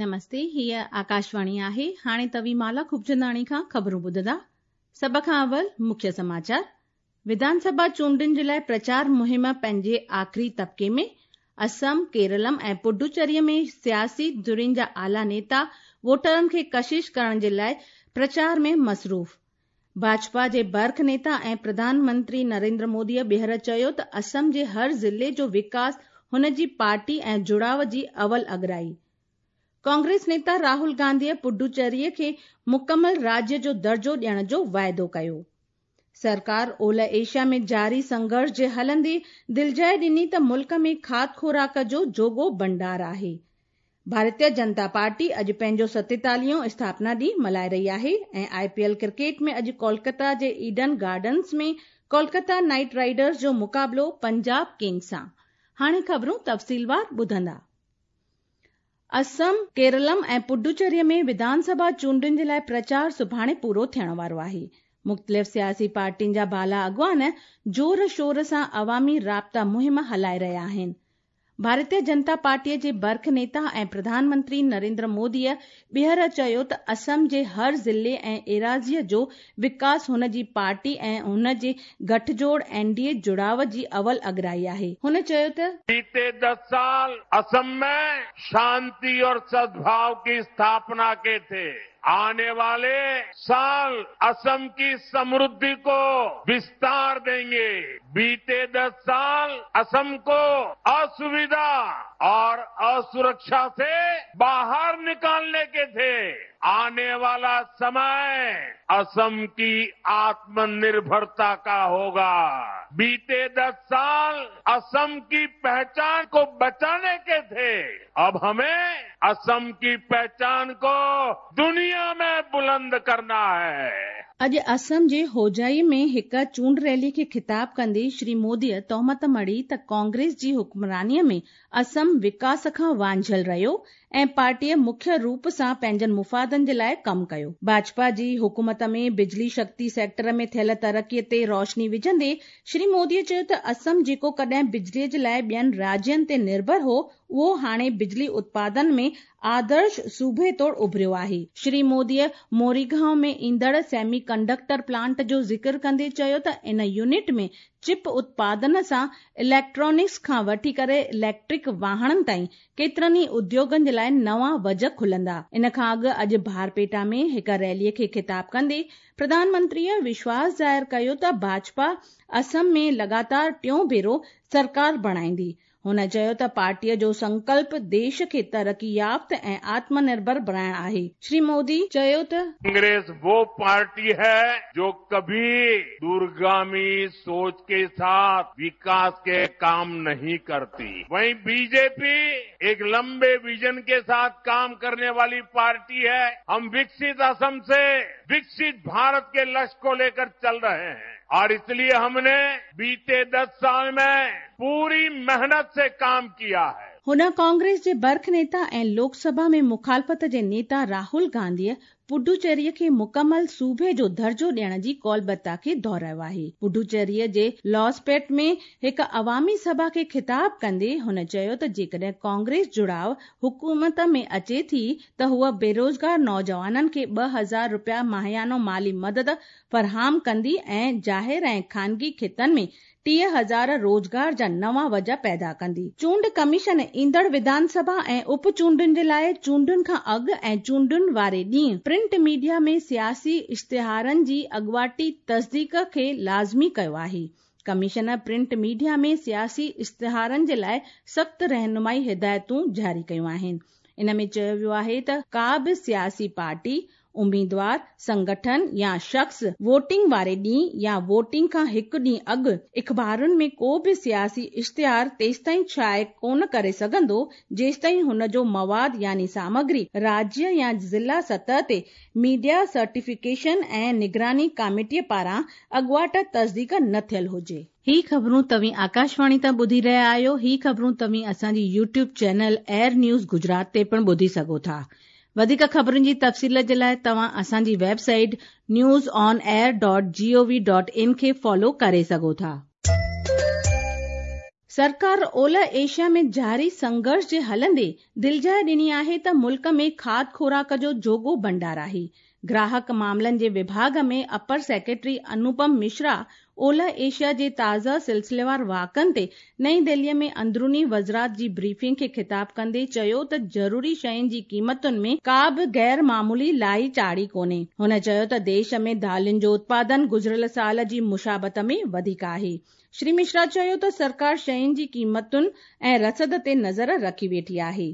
نمستي، هيء آڪاشواڻي آهي. هاڻي توهين مالا خوبچنداڻي کان خبرون ٻڌندا. سڀ کان اول مکيه سماچار. وڌان سڀا چونڊن جي لاء پرچار مهم پنهنجي آخري طبقي ۾. اسم، ڪيرلم ۽ پڊوچيري ۾ سياسي ڌرين جا اعليٰ نيتا ووٽرن کي ڪشش ڪرڻ جي لاء پرچار ۾ مصروف. ڀاجپا جي برک نيتا ۽ پرڌان منتري نريندر موديء ٻيهر چيو ته اسم جي هر ضلعي جو وڪاس هن جي پارٽي ۽ جڙاء جي اول اڳرائي. ڪانگريس نيتا راهول گانڌيء پڊوچيريء کي مڪمل راجيه جو درجو ڏيڻ جو واعدو ڪيو. سرڪار اولهه ايشيا ۾ جاري سنگهرش جي هلندي دلجاء ڏني ته ملڪ ۾ کاڌ خوراڪ جو جوڳو ڀنڊار آهي. ڀارتيه جنتا پارٽي اڄ پنهنجو ستيتاليهون اسٿاپنا ڏينهن ملهائي رهي آهي ۽ آء پي ايل ڪرڪيٽ ۾ اڄ ڪولڪتا جي Eden Gardens ۾ Kolkata Knight Riders جو مقابلو پنجاب ڪنگز سان. هاڻي خبرون تفصيلوار ٻڌندا. اسم، ڪيرلم ۽ پڊوچيري ۾ وڌان سڀا چونڊن جي لاء پرچار سڀاڻي پورو ٿيڻ وارو آهي. مختلف سياسي پارٽين جا بالا اڳواڻ زور شور سان عوامي رابطا مهم هلائي رهيا آهن. ڀارتيه جنتا پارٽيء جي برک نيتا ۽ پرڌان منتري نريندر موديء ٻيهر چيو ته اسم جي هر ضلعي ۽ ايراضيء جو وڪاس هن جي پارٽي ۽ هن جي گٺجوڙ اين ڊي اي جڙاء جي اول اڳرائي آهي. هن چيو ته. بيتي دس سال اسم ۾ شانتي اور سدڀاو ڪي اسٿاپنا ڪي ٿي. آني والي سال اسم ڪي سمرڌي ڪو وستار دينگي. بيتي دس سال اسم ڪو اسويڌا اور اسرڪشا سي باهر نڪالني ڪي ٿي. آني والا سمي اسم ڪي آتم نرڀرتا ڪا هوگا. بيتي دس سال اسم ڪي پهچان ڪو بچاني ڪي ٿي. اب همين اسم ڪي پهچان ڪو دنيا ۾ بلند ڪرنا هي. اڄ اسم جي هوجائي ۾ هڪ چونڊ ريلي کي خطاب ڪندي شري موديء تهمت مڙهي ته ڪانگريس جي حڪمرانيء ۾ اسم وڪاس کان وانجهيل رهيو ۽ پارٽيء مکيه روپ سان پنهنجن مفادن جي لاء ڪم ڪيو. ڀاجپا جي حڪومت ۾ بجلي شڪتي سيڪٽر ۾ ٿيل ترقيء تي روشني وجهندي شري موديء چيو ته اسم جيڪو ڪڏهن بجليء جي لاء ٻين راجين تي نرڀر هو اهو هاڻي بجلي اتپادن ۾ آدرش صوبي طور اڀريو آهي. شري موديء موريگائون ۾ ايندڙ سيمي ڪنڊڪٽر پلانٽ جو ذڪر ڪندي چيو ته ان يونٽ ۾ چپ اتپادن سان اليڪٽرانڪس کان وٺي ڪري اليڪٽرڪ واهڻن تائين ڪيترن ئي اديوگن جي لاء نوان وجهه کلندا. ان کان اڳ اڄ ڀارپيٽا ۾ هڪ ريلي کي خطاب ڪندي پرڌان منتريء وشواس ظاهر ڪيو ته ڀاجپا اسم ۾ لڳاتار ٽيون ڀيرو سرڪار بڻائيندي. هن چيو ته پارٽيء جو سنڪلپ ديش کي ترقي يافته ۽ آتم نرڀر بڻائڻ آهي. شري مودي چيو ته. ڪانگريس وو پارٽي هي جو ڪڀي دورگامي سوچ ڪي ساٿ وڪاس ڪي ڪام نهين ڪرتي. وهين بي جي پي ايڪ لمبي ويزن ڪي ساٿ ڪام ڪرني والي پارٽي هي. هم وڪست اسم سي وڪست ڀارت ڪي لڪش ڪو ليڪر چل رهي هين اور اس ليي هم ني بيتي دس سال مين پوري محنت سي ڪام ڪيا هي. هن ڪانگريس جي برک نيتا ۽ لوڪ سڀا ۾ مخالفت جي نيتا راهول گانڌيء پڊوچيريء کي مڪمل صوبي جو درجو ڏيڻ جي ڪولبتا کي دهرايو آهي. پڊوچيريء جي لاسپيٽ ۾ هڪ عوامي سڀا کي خطاب ڪندي هن چيو ته جيڪڏهن ڪانگريس جڙاء حڪومت ۾ اچي ٿي ته هوء بيروزگار نوجوانن کي 2000 رپيا ماهيانو مالي مدد فراهم ڪندي ۽ ظاهر ۽ خانگي کيتن ۾ 30,000 روزگار جا نوان وجهه پيدا ڪندي. چونڊ ڪميشن ايندڙ وڌان سڀا ۽ اپ چونڊن جي لاء چونڊن کان اڳ ۽ چونڊن واري ڏينهن پرنٽ ميڊيا ۾ سياسي اشتهارن جي اڳواٽي تصديق کي لازمي ڪيو آهي. ڪميشن پرنٽ ميڊيا ۾ سياسي اشتهارن جي لاء سخت رهنمائي هدايتون جاري ڪيون آهن. ان ۾ چيو ويو آهي ته ڪا به سياسي پارٽي اميدوار، سنگٺن يا شخص ووٽنگ واري ڏينهن يا ووٽنگ کان هڪ ڏينهن اڳ اخبارن ۾ ڪو به سياسي اشتهار تيستائين شايع ڪونه ڪري سگهندو جيستائين هن جو مواد يعني سامگري راجيه يا ضلع سطح تي ميڊيا سرٽيفڪيشن ۽ نگراني ڪاميٽيء پاران اڳواٽ تصديق نه ٿيل هجي. هي خبرون توهين آڪاشواڻي تان ٻڌي رهيا آهيو. هي خبرون توهين اسان جي YouTube channel air news Gujarat تي پڻ ٻڌي سگهو ٿا. وڌيڪ خبرن جي تفصيل جي لاء توهان اسان جي website news on air dot G O V dot in کي فالو ڪري سگهو ٿا. सरकार ओलह एशिया में जारी संघर्ष जे हलंदे दिलजाइ ॾिनी आहे त मुल्क में खाध खुराक जो जोॻो भंडार आहे। ग्राहक मामलनि जे विभाग में अपर सेक्रेटरी अनुपम मिश्रा ओलह एशिया जे ताज़ा सिलसिलेवार वाक़नि ते नई दिल्लीअ में अंदरूनी वज़ारत जी ब्रीफिंग खे ख़िताब कंदे चयो त ज़रूरी शयुनि जी क़ीमतुनि में का बि गैर मामूली लाही चाढ़ी कोन्हे। हुन चयो त देश में दालियुनि जो उत्पादन गुज़िरियल साल जी मुशाबत में वधीक आहे। श्री मिश्रा चयो त सरकार शयुनि जी क़ीमतुनि ऐं रसद ते नज़र रखी वेठी आहे।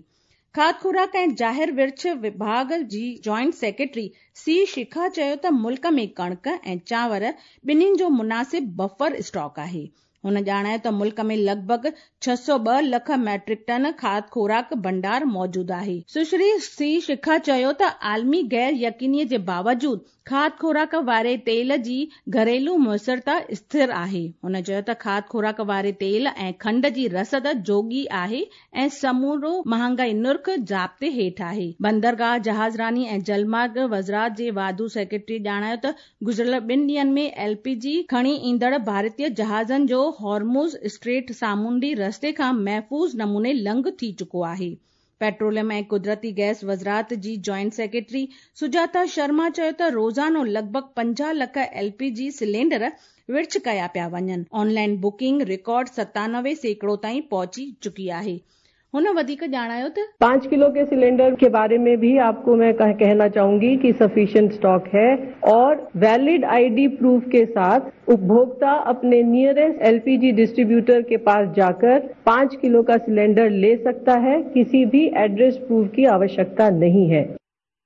खाध खुराक ऐं ज़ाहिर विर्छ विभाग जी जॉइंट सेक्रेटरी सी शिखा चयो त मुल्क में कणिक ऐं चांवर ॿिन्हिनि जो मुनासिब बफर स्टॉक आहे। हुन ॼाणायो त मुल्क में लॻभॻ 602 लख मैट्रिक टन खाध खुराक भंडार मौजूद आहे। सुश्री सी शिखा चयो त आलमी गैर यकीनीअ जे बावजूद खाध खुराक वारे तेल जी घरेलू मुयसरता स्थिर आहे। हुन चयो त खाध खुराक वारे तेल ऐं खंड जी रसद जोॻी आहे ऐं समूरो महांगाई नुर्ख ज़ाब्ते हेठि आहे। बंदरगाह, जहाज़रानी ऐं जलमार्ग वज़ारत जे वाधू सेक्रेटरी ॼाणायो त गुज़िरियल ॿिनि ॾींहंनि में एलपीजी खणी ईंदड़ भारतीय जहाज़नि जो हॉर्मुज़ स्ट्रेट सामुंडी रस्ते खां महफ़ूज़ नमूने लंघ थी चुको आहे। पेट्रोलियम ऐं कुदरती गैस वज़ारत जी जॉइंट सेक्रेटरी सुजाता शर्मा चयो त रोज़ानो लॻभॻ 50 लख एलपीजी सिलेंडर विर्छ कया पिया वञनि। ऑनलाइन बुकिंग रिकॉर्ड 97% ताईं पहुची चुकी आहे। हुन वधीक ॼाणायो त 5 किलो के सिलेंडर के बारे में भी आपको मैं कहना चाहूंगी कि सफिशिएंट स्टॉक है और वैलिड आईडी प्रूफ के साथ उपभोक्ता अपने नियरेस्ट एलपीजी डिस्ट्रीब्यूटर के पास जाकर 5 किलो का सिलेंडर ले सकता है। किसी भी एड्रेस प्रूफ की आवश्यकता नहीं है।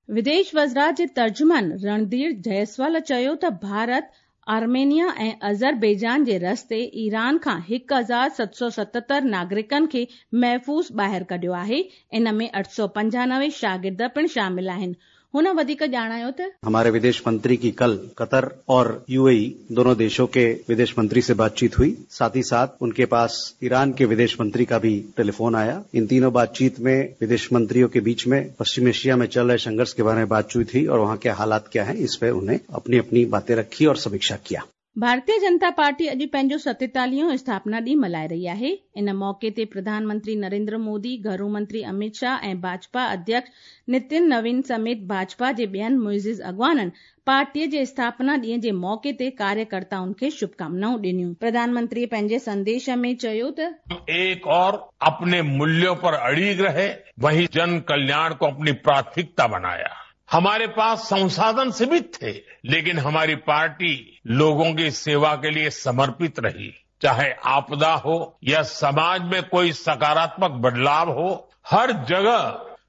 विदेश वज़ारत जे तर्जुमान रणधीर जायसवाल चयो त भारत आर्मेनिया ऐं अज़रबैजान जे रस्ते ईरान खां 1777 नागरिकनि खे महफ़ूज़ ॿाहिरि कढियो आहे। इन में 895 शागिर्द पिणु शामिल आहिनि। हुन वधीक ॼाणायो त हमारे विदेश मंत्री की कल कतर और यूएई दोनों देशों के विदेश मंत्री से बातचीत हुई। साथ ही साथ उनके पास ईरान के विदेश मंत्री का भी टेलीफोन आया। इन तीनों बातचीत में विदेश मंत्रियों के बीच में पश्चिम एशिया में चल रहे संघर्ष के बारे में बातचीत हुई और वहां के हालात क्या हैं इस पर उन्हें अपनी अपनी बातें रखी और समीक्षा किया। भारतीय जनता पार्टी अॼु पंहिंजो 47 स्थापना ॾींहुं मल्हाए रही आहे। इन मौक़े ते प्रधानमंत्री नरेंद्र मोदी, घरू मंत्री अमित शाह ऐं भाजपा अध्यक्ष नितिन नवीन समेत भाजपा जे ॿियनि मुइज़िज़ अॻवाननि पार्टीअ जे स्थापना ॾींहं जे मौक़े ते कार्यकर्ताउनि खे शुभकामनाऊं ॾिनियूं। प्रधानमंत्री पंहिंजे संदेश में चयो त एक और अपने मूल्यों पर अड़िग रहे, वहीं जन कल्याण को अपनी प्राथमिकता बनाया। हमारे पास संसाधन सीमित थे, लेकिन हमारी पार्टी लोगों की सेवा के लिए समर्पित रही। चाहे आपदा हो या समाज में कोई सकारात्मक बदलाव हो, हर जगह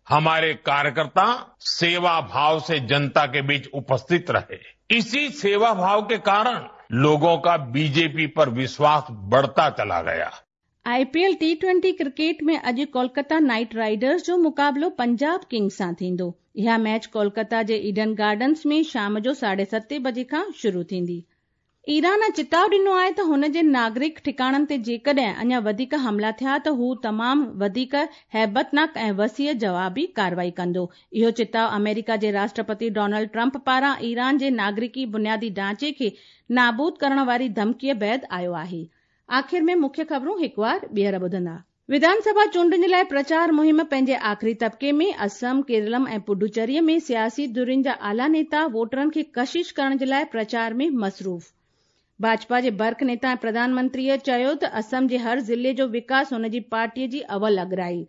हमारे कार्यकर्ता सेवा भाव से जनता के बीच उपस्थित रहे। इसी सेवा भाव के कारण लोगों का बीजेपी पर विश्वास बढ़ता चला गया। आईपीएल टी20 क्रिकेट में अॼु कोलकाता नाइट राइडर्स जो मुक़ाबिलो पंजाब किंग्स सां थींदो। इहा मैच कोलकाता जे ईडन गार्डन्स में शाम जो 7:30 बजे खां शुरू थींदी। ईरान चिताव ॾिनो आहे त हुन जे नागरिक ठिकाणनि ते जेकॾहिं अञा वधीक हमला थिया त हू तमामु वधीक हैबतनाक ऐं वसीअ जवाबी कार्रवाई कंदो। इहो चिताव अमेरिका जे राष्ट्रपति डोनाल्ड ट्रंप पारां ईरान जे नागरिकी बुनियादी ढांचे खे नाबूद करण वारी धमकीअ बाद आयो आहे। आख़िर में मुख्य ख़बरूं हिकु वार ॿीहर ॿुधंदा। विधानसभा चूंडुनि जे लाइ प्रचार मुहिम पंहिंजे आख़िरी तबके में असम, केरलम ऐं पुडुचेरीअ में सियासी धुरियुनि जा आला नेता वोटरनि खे कशिश करण जे लाइ प्रचार में मसरूफ़। भाजपा जे बर्क नेता ऐं प्रधानमंत्रीअ चयो त असम जे हर ज़िले जो विकास हुन जी पार्टीअ जी अवल अॻराई।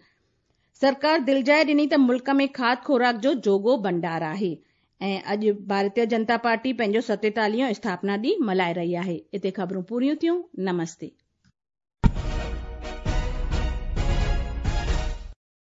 सरकार दिलजाइ ॾिनी त मुल्क में खाध खुराक जो जोॻो भंडार आहे। ऐं अॼु भारतीय जनता पार्टी पंहिंजो 47 स्थापना ॾींहुं मल्हाए रही आहे। हिते ख़बरूं पूरियूं थियूं। नमस्ते।